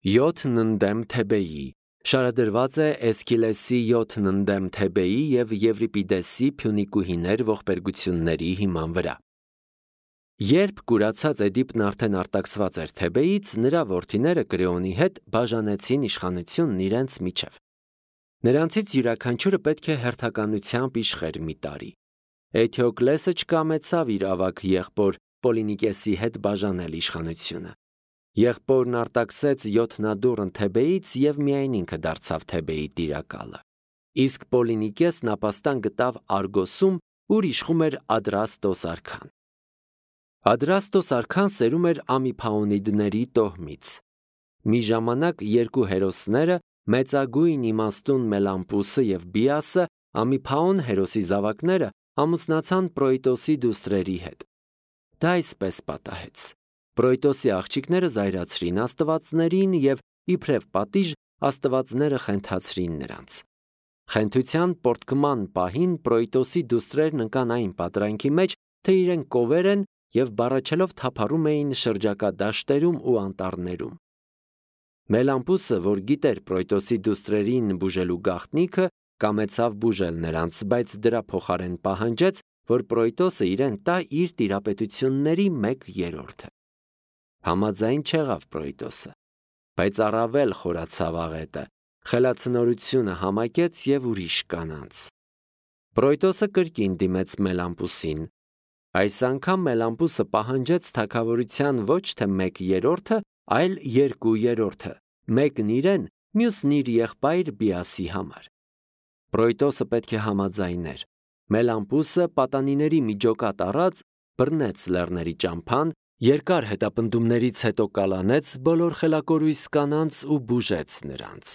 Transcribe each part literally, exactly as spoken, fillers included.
յոթն ընդդեմ Թեբեի շարադրված է Էսքիլեսի յոթն ընդդեմ Թեբեի և Եվրիպիդեսի Փյունիկուհիներ ողբերգությունների հիման վրա։ Երբ կուրացած Էդիպն արդեն արտաքսված էր Թեբեից, նրա որդիները Կրեոնի հետ բաժանեցին իշխանությունն իրենց միջև։ Նրանցից յուրաքանչյուրը պետք է հերթականությամբ իշխեր մի տարի։ Էթիոկլեսը չկամեցավ իր ավագ եղբոր Պոլինիկեսի հետ բաժանել իշխանությունը։ Եղբորն արտաքսեց յոթնադուռն Թեբեից և միայն ինքը դարձավ Թեբեի տիրակալը։ Իսկ Պոլինիկեսն ապաստան գտավ Արգոսում, ուր իշխում էր Ադրաստոս արքան։ Ադրաստոս արքան սերում էր Ամիփաոնիդների տոհմից։ Մի ժամանակ երկու հերոսները, մեծագույն իմաստուն Մելամպուսը և Բիասը, Ամիփաոն հերոսի զավակները, ամուսնացան Պրոյտոսի դուստրերի հետ։ Դա այսպես պատահեց։ Պրոյտոսի աղջիկները զայրացրին աստվածներին և իբրև պատիժ աստվածները խենթացրին նրանց։ Խենթության պոռթկման պահին Պրոյտոսի դուստրերն ընկան այն պատրանքի մեջ, թե իրենք կովեր են և բառաչելով թափառում էին շրջակա դաշտերում ու անտառներում։ Մելամպուսը, որ գիտեր Պրոյտոսի դուստրերին բուժելու գաղտնիքը, կամեցավ բուժել նրանց, բայց դրա փոխարեն պահանջեց, որ Պրոյտոսը իրեն տա իր տիրապետությունների մեկ երրորդը։ Համաձայն չեղավ Պրոյտոսը, բայց առավել խորացավ աղետը, խելացնորությունը համակեց և ուրիշ կանանց։ Պրոյտոսը կրկին դիմեց Մելամպուսին։ Այս անգամ Մելամպուսը պահանջեց թագավորության ոչ թե մեկ երրորդը, այլ երկու երրորդը, մեկն իրեն, մյուսն իր եղբայր Բիասի համար։ Պրոյտոսը պետք է համաձայներ։ Մելամպուսը պատանիների մի ջոկատ առած բռնեց լեռների ճամփան, երկար հետապնդումներից հետո կալանեց բոլոր խելակորույս կանանց ու բուժեց նրանց։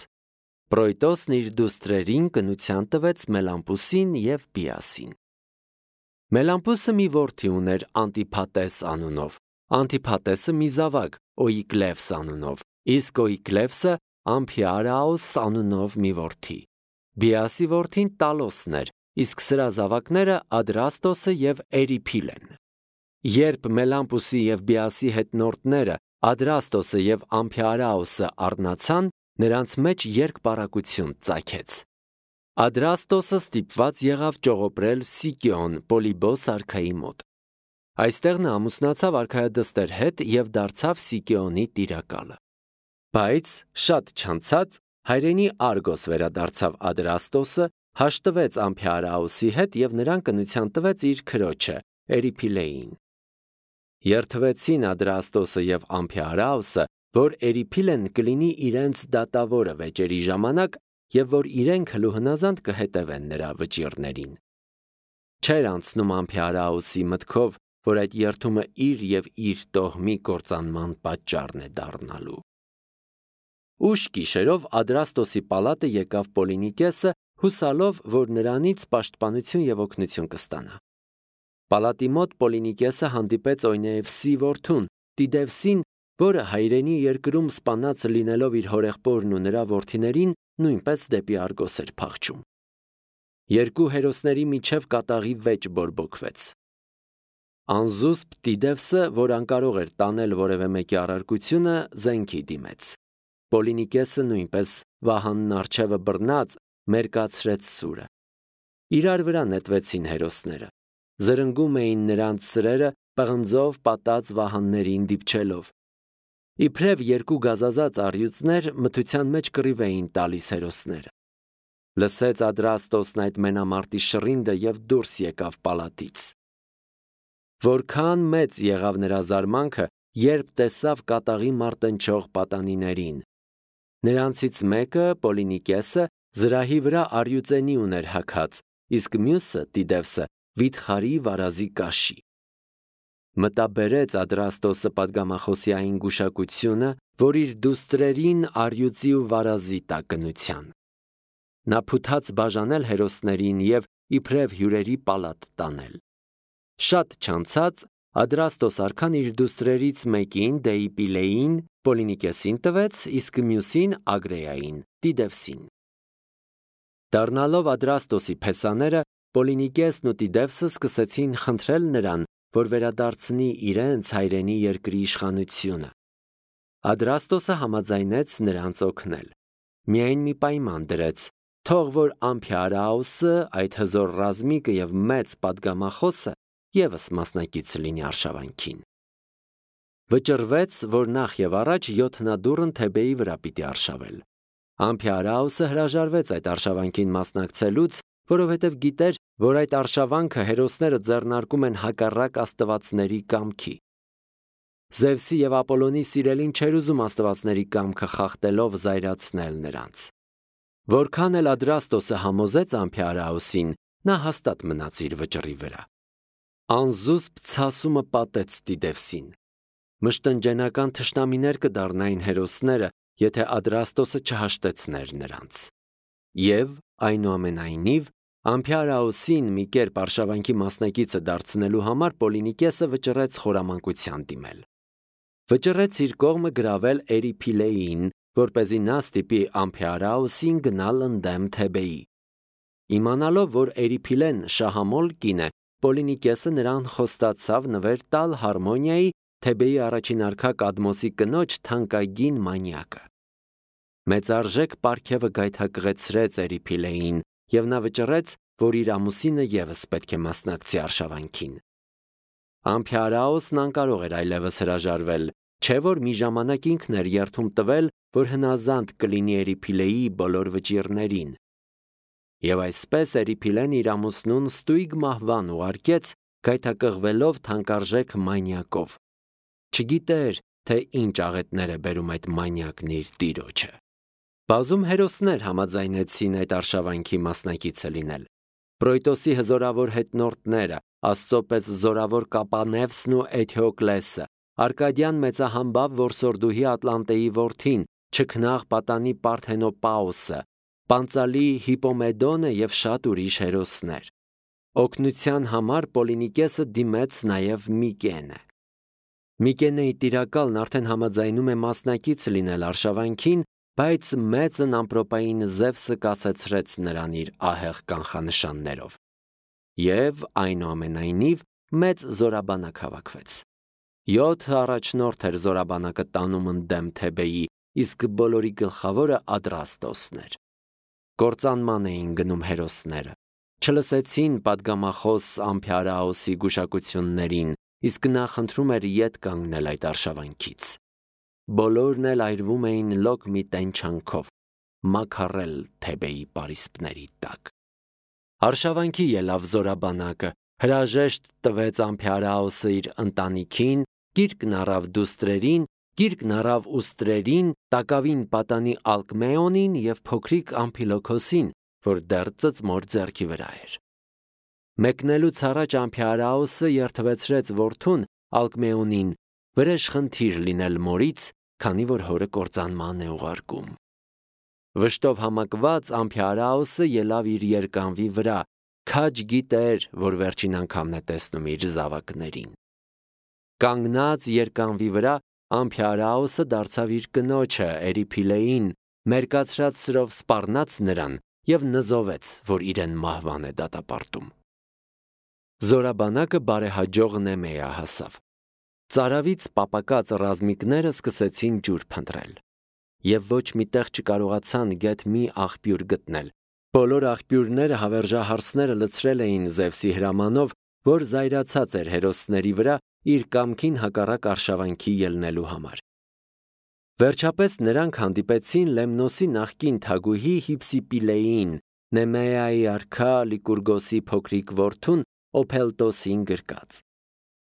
Պրոյտոսն իր դուստրերին կնության տվեց Մելամպուսին և Բիասին։ Մելամպուսը մի որդի ուներ Անտիփատես անունով, Անտիփատեսը մի զավակ Օիկլևս անունով, իսկ Օիկլևսը Ամփիարաոս անունով մի որդի։ Բիասի որդին Տալոսն էր, իսկ սրա զավակները Ադրաստոսը և Էրիփիլեն։ Երբ Մելամպուսի և Բիասի հետնորդները Ադրաստոսը և Ամփիարաոսը առնացան, նրանց մեջ երկպառակություն ծագեց։ Ադրաստոսը ստիպված եղավ ճողոպրել Սիկիոն Պոլիբոս արքայի մոտ։ Այստեղ նա ամուսնացավ արքայադստեր հետ և դարձավ Սիկիոնի տիրակալը։ Բայց շատ չանցած հայրենի Արգոս վերադարձավ Ադրաստոսը, հաշտվեց Ամփիարաոսի հետ և նրան կնության տվեց իր քրոջը Էրիփիլեին։ Երդվեցին Ադրաստոսը և Ամփիարաոսը, որ Էրիփիլեն կլինի իրենց դատավորը վեճերի ժամանակ և որ իրենք հլուհնազանդ կհետևեն նրա վճիռներին։ Չէր անցնում Ամփիարաոսի մտքով, որ այդ երդումը իր և իր տոհմի կործանման պատճառն է դառնալու։ Ուշ գիշերով Ադրաստոսի պալատը եկավ Պոլինիկեսը, հուսալով, որ նրանից պաշտպանություն և օգնություն կստանա։ Պալատի մոտ Պոլինիկեսը հանդիպեց Օյնեևսի որդուն, Տիդևսին, որը հայրենի երկրում սպանած լինելով իր հորեղբորն ու նրա որդիներին, նույնպես դեպի Արգոս էր փախչում։ Երկու հերոսների միջև կատաղի վեճ բորբոքվեց։ Անզուսպ Տիդևսը, որ անկարող էր տանել որևէ մեկի առարկությունը, զենքի դիմեց։ Պոլինիկեսը նույնպես վահանն առջևը բռնած մերկացրեց սուրը։ Իրար վրա նետվեցին հերոսները։ Զրնգում էին նրանց սրերը, պղնձով պատած վահաններին դիպչելով։ Իբրև երկու գազազած առյուծներ մթության մեջ կռիվ էին տալիս հերոսները։ Լսեց Ադրաստոսն այդ մենամարտի շռինդը և դուրս եկավ պալատից։ Որքան մեծ եղավ նրա զարմանքը, երբ տեսավ կատաղի մարտնչող պատանիներին։ Նրանցից մեկը, Պոլինիկեսը, զրահի վրա առյուծենի ուներ հագած, իսկ մյուսը, Տիդևսը, վիթխարի վարազի կաշի։ Մտաբերեց Ադրաստոսը պատգամախոսյային գուշակությունը, որ իր դուստրերին առյուծի ու վարազի տա կնության։ Նա փութաց բաժանել հերոսներին և իբրև հյուրերի պալատ տանել։ Շատ չանցած Ադրաստոս արքան իր դուստրերից մեկին Դեիպիլեին Պոլինիկեսին տվեց, իսկ մյուսին Ագրեային Տիդևսին։ Դառնալով Ադրաստոսի փեսաները, Պոլինիկեսն ու Տիդևսը սկսեցին խնդրել նրան, որ վերադարձնի իրենց հայրենի երկրի իշխանությունը։ Ադրաստոսը համաձայնեց նրանց օգնել։ Միայն մի պայման դրեց. թող որ Ամփիարաուսը, այդ հզոր ռազմիկը եւ մեծ պատգամախոսը եւս մասնակից լինի արշավանքին։ Վճռվեց, որ նախ եւ առաջ յոթնադուռն Թեբեի վրա պիտի արշավել։ Ամփիարաուսը հրաժարվեց այդ արշավանքին մասնակցելուց, որովհետև գիտեր, որ այդ արշավանքը հերոսները ձեռնարկում են հակառակ աստվածների կամքի։ Զևսի եւ Ապոլոնի սիրելին չէր ուզում աստվածների կամքը խախտելով զայրացնել նրանց։ Որքան էլ Ադրաստոսը համոզեց Ամփիարաուսին, նա հաստատ մնաց իր վճռի վրա։ Անզուսպ ցասումը պատեց Տիդևսին։ Մշտնջենական թշնամիներ կդառնային հերոսները, եթե Ադրաստոսը չհաշտեցներ նրանց։ Եվ, այնուամենայնիվ, Ամփիարաուսին մի կերպ արշավանքի մասնակիցը դարձնելու համար Պոլինիկեսը վճռեց խորամանկության դիմել։ Վճռեց իր կողմը գրավել Էրիփիլեին, որպեսզի նա ստիպի Ամփիարաուսին գնալ ընդդեմ Թեբեի։ Իմանալով, որ Էրիփիլեն շահամոլ կին է, Պոլինիկեսը նրան խոստացավ նվեր տալ Հարմոնիայի, Թեբեի առաջին արքա Կադմոսի կնոջ թանկագին մանյակը։ Մեծարժեք պարգևը գայթակղեցրեց Էրիփիլեին, եւ նա վճռեց, որ իր ամուսինը եւս պետք է մասնակցի արշավանքին։ Ամփիարաուսն անկարող էր այլևս հրաժարվել, չէ որ մի ժամանակ ինքն էր երդում տվել, որ հնազանդ կլինի Էրիփիլեի բոլոր վճիռներին։ Եվ այսպես Էրիփիլեն իր ամուսնուն ստույգ մահվան ուղարկեց, գայթակղվելով թանկարժեք մանյակով։ Չգիտեր, թե ինչ աղետներ է բերում այդ մանյակն իր տիրոջը։ Բազում հերոսներ համաձայնեցին այդ արշավանքի մասնակիցը լինել։ Պրոյտոսի հզորավոր հետնորդները, Աստծո պես զորավոր Կապանևսն ու Էթիոկլեսը, Արկադյան մեծահամբավ որսորդուհի Ատլանտեի որդին, չքնաղ պատանի Պարթենոպաուսը, Պանծալի Հիպոմեդոնը եւ շատ ուրիշ հերոսներ։ Օգնության համար Պոլինիկեսը դիմեց նաեւ Միկենը։ Միկենեի տիրակալն արդեն համաձայնում է մասնակից լինել արշավանքին, բայց մեծն ամպրոպային Զևսը կասեցրեց նրան իր ահեղ կանխանշաններով։ Եվ այնուամենայնիվ մեծ զորաբանակ հավաքվեց։ Յոթ առաջնորդ էր զորաբանակը տանում ընդդեմ Թեբեի, իսկ բոլորի գլխավորը Ադրաստոսն էր։ Կործանման էին գնում հերոսները։ Չլսեցին պատգամախոս Ամփիարաուսի գուշակություններին, իսկ նա խնդրում էր ետ կանգնել այդ արշավանքից։ Բոլորն էլ այրվում էին լոկ մի տենչանքով, մաքարել Թեբեի պարիսպների տակ։ Արշավանքի ելավ զորաբանակը, հրաժեշտ տվեց Ամփիարաուսը իր ընտանիքին, գիրկն առավ դուստրերին, գիրկն առավ ուստրերին, տակավին պատանի Ալկմեոնին եւ փոքրիկ Ամփիլոքոսին, որ դեռ ծծմոր ձեռքի վրա էր։ Մեկնելուց առաջ Ամփիարաուսը երթվեցրեց որդուն Ալկմեոնին, վրեժխնդիր լինել մորից, քանի որ հորը կործանման է ուղարկում։ Վշտով համակված Ամփիարաուսը ելավ իր երկանվի վրա, քաջ գիտեր, որ վերջին անգամն է տեսնում իր զավակներին։ Կանգնած երկանվի վրա Ամփիարաուսը դարձավ իր կնոջը Էրիփիլեին, մերկացրած սրով սպառնաց նրան եւ նզովեց, որ իրեն մահվան է դատապարտում։ Զորաբանակը բարեհաջող Նեմեա հասավ։ Ծարավից պապակած ռազմիկները սկսեցին ջուր փնտրել եւ ոչ մի տեղ չկարողացան գեթ մի աղբյուր գտնել։ Բոլոր աղբյուրները հավերժահարսները լցրել էին Զևսի հրամանով, որ զայրացած էր հերոսների վրա իր կամքին հակառակ արշավանքի ելնելու համար։ Վերջապես նրանք հանդիպեցին Լեմնոսի նախկին թագուհի Հիփսիպիլեին, Նեմեայի արքա Լիկուրգոսի փոքրիկ որդուն Օփելտոսին գրկած։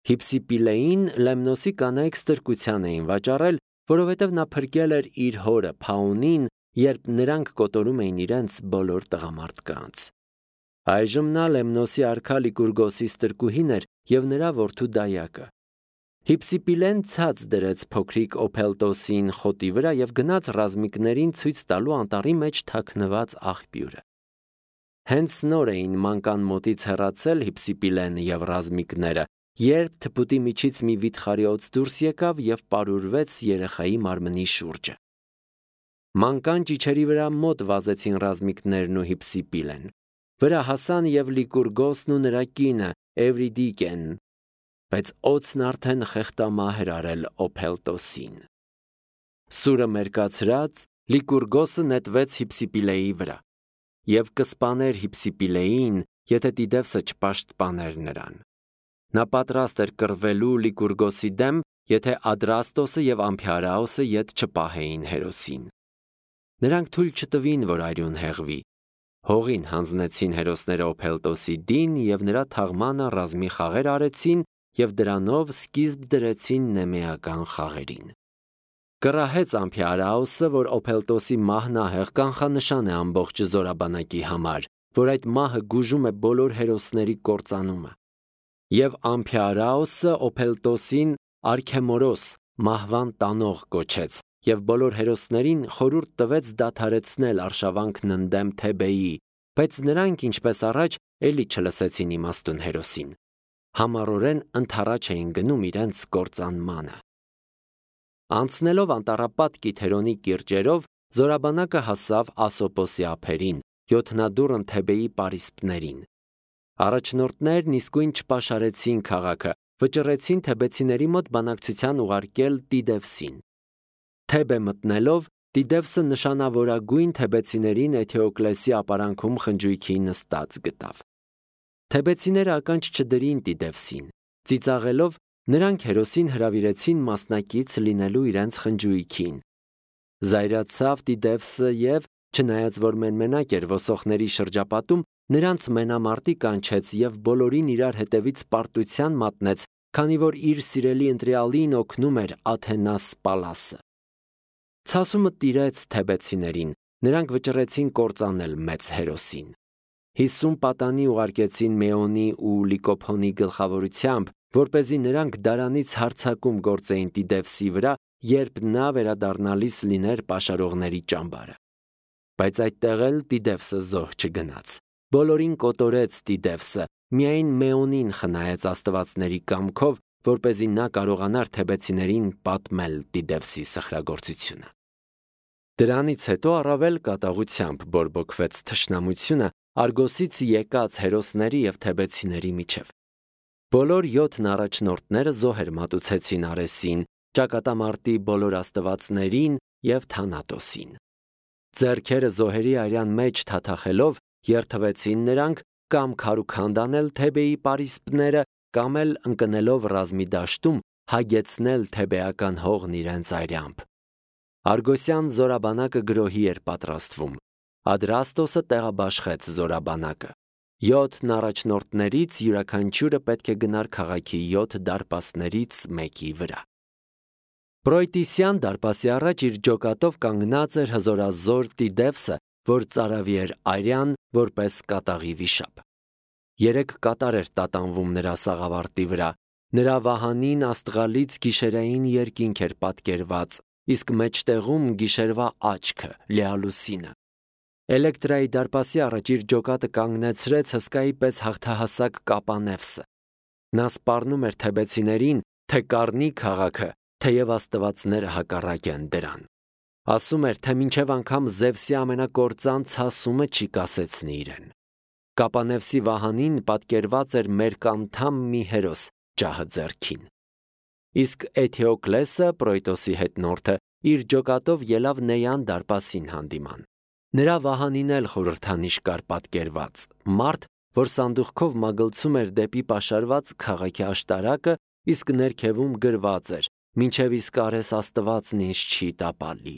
Հիփսիպիլեին Լեմնոսի կանայք ստրկության էին վաճառել, որովհետև նա փրկել էր իր հորը Փաունին, երբ նրանք կոտորում էին իրենց բոլոր տղամարդկանց։ Այժմ նա Լեմնոսի արքա Լիկուրգոսի ստրկուհին էր եւ նրա որդու դայակը։ Հիփսիպիլեն ցած դրեց փոքրիկ Օփելտոսին խոտի վրա եւ գնաց ռազմիկներին ցույց տալու անտառի մեջ թաքնված աղբյուրը։ Հենց նոր էին մանկան մոտից հեռացել Հիփսիպիլենը եւ ռազմիկները, երբ թփուտի միջից մի վիթխարի օծ դուրս եկավ եւ պարուրվեց երեխայի մարմնի շուրջը։ Մանկան ճիչերի վրա մոտ վազեցին ռազմիկներն ու Հիփսիպիլեն։ Վրա հասան եւ Լիկուրգոսն ու նրա կինը Էվրիդիկեն, բայց օծն արդեն խեղտամահ էր արել Օփելտոսին։ Սուրը մերկացրած Լիկուրգոսը նետվեց Հիփսիպիլեի վրա եւ կսպաներ Հիփսիպիլեին, եթե Տիդևսը չպաշտպաներ նրան։ Նա պատրաստ էր կռվելու Լիկուրգոսի դեմ, եթե Ադրաստոսը եւ Ամփիարաոսը ետ չպահեին հերոսին։ Նրանք թույլ չտվին, որ արյուն հեղվի։ Հողին հանձնեցին հերոսները Օփելտոսի դին եւ նրա թաղմանը ռազմի խաղեր արեցին եւ դրանով սկիզբ դրեցին նեմեական խաղերին։ Կռահեց Ամփիարաոսը, որ Օփելտոսի մահն ահեղ կանխանշան է ամբողջ զորաբանակի համար, որ այդ մահը գուժում է բոլոր հերոսների կործանումը։ Եվ Ամփիարաոսը Օփելտոսին Արքեմորոս մահվան տանող կոչեց եւ բոլոր հերոսներին խորհուրդ տվեց դադարեցնել արշավանքն ընդդեմ Թեբեի, բայց նրանք ինչպես առաջ էլի չլսեցին իմաստուն հերոսին։ Համառորեն ընդառաջ էին գնում իրենց կործանմանը։ Անցնելով անտառապատ Կիթերոնի կիրճերով, զորաբանակը հասավ Ասոպոսի ափերին, յոթնադուռն Թեբեի պարիսպներին։ Առաջնորդներն իսկույն չպաշարեցին քաղաքը, վճռեցին թեբեցիների մոտ բանակցության ուղարկել Տիդևսին։ Թեբե մտնելով, Տիդևսը նշանավորագույն թեբեցիներին Էթեոկլեսի ապարանքում խնջույքի նստած գտավ։ Թեբեցիները ականջ չդրին Տիդևսին, ծիծաղելով նրանք հերոսին հրավիրեցին մասնակից լինելու իրենց խնջույքին։ Զայրացավ Տիդևսը եւ, չնայած որ մենմենակ էր ոսոխների շրջապատում, նրանց մենամարտի կանչեց եւ բոլորին իրար հետևից պարտության մատնեց, քանի որ իր սիրելի ընտրյալին օգնում էր Աթենաս Պալասը։ Ցասումը տիրեց թեբեցիներին, նրանք վճռեցին կործանել մեծ հերոսին։ Հիսուն պատանի ուղարկեցին Մեոնի ու Լիկոփոնի գլխավորությամբ, որպեսզի նրանք դարանից հարձակում գործեին Տիդևսի վրա, երբ նա վերադառնալիս լիներ պաշարողների ճամբարը։ Բայց այդտեղ էլ Տիդևսը զոհ չգնաց։ Բոլորին կոտորեց Տիդևսը, միայն Մեոնին խնայեց աստվածների կամքով, որպեսզի նա կարողանար թեբեցիներին պատմել Տիդևսի սխրագործությունը։ Դրանից հետո առավել կատաղությամբ բորբոքվեց թշնամությունը Արգոսից եկած հերոսների եւ թեբեցիների միջև։ Բոլոր յոթն առաջնորդները զոհեր մատուցեցին Արեսին, ճակատամարտի բոլոր աստվածներին եւ Թանատոսին։ Ձեռքերը զոհերի արյան մեջ թաթախելով երթվեցին նրանք կամ քարուքանդ անել Թեբեի պարիսպները, կամ էլ ընկնելով ռազմի դաշտում հագեցնել թեբեական հողն իրենց արյամբ։ Արգոսյան զորաբանակը գրոհի էր պատրաստվում։ Ադրաստոսը տեղաբաշխեց զորաբանակը։ Յոթն առաջնորդներից յուրաքանչյուրը պետք է գնար քաղաքի յոթ դարպասներից մեկի վրա։ Պրոյտիսյան դարպասի առաջ իր ջոկատով կանգնած էր հզորազոր Տիդևսը, որ ծարավի էր արյան որպես կատաղի վիշապ։ Երեք կատար էր տատանվում նրա սաղավարտի վրա, նրա վահանին աստղալից գիշերային երկինք էր պատկերված, իսկ մեջտեղում գիշերվա աչքը, Լեալուսինը։ Էլեկտրայի դարպասի առաջ իր ջոկատը կանգնեցրեց հսկայի պես հաղթահասակ Կապանևսը։ Նա սպառնում էր թեբեցիներին, թե կառնի քաղաքը, թեև աստվածները հակառակ են դրան։ Ասում էր, թե մինչև անգամ Զևսի ամենակործան ցասումը չի կասեցնի իրեն։ Կապանևսի վահանին պատկերված էր մերկանդամ մի հերոս ջահը ձեռքին։ Իսկ Էթեոկլեսը, Պրոյտոսի հետնորդը, իր ջոկատով ելավ Նեյան դարպասին հանդիման։ Նրա վահանին էլ խորհրդանիշ կար պատկերված, մարդ, որ սանդուղքով մագլցում էր դեպի պաշարված քաղաքի աշտարակը, իսկ ներքևում գրված էր. «Մինչև իսկ արես աստվածն ինձ չի տապալի»։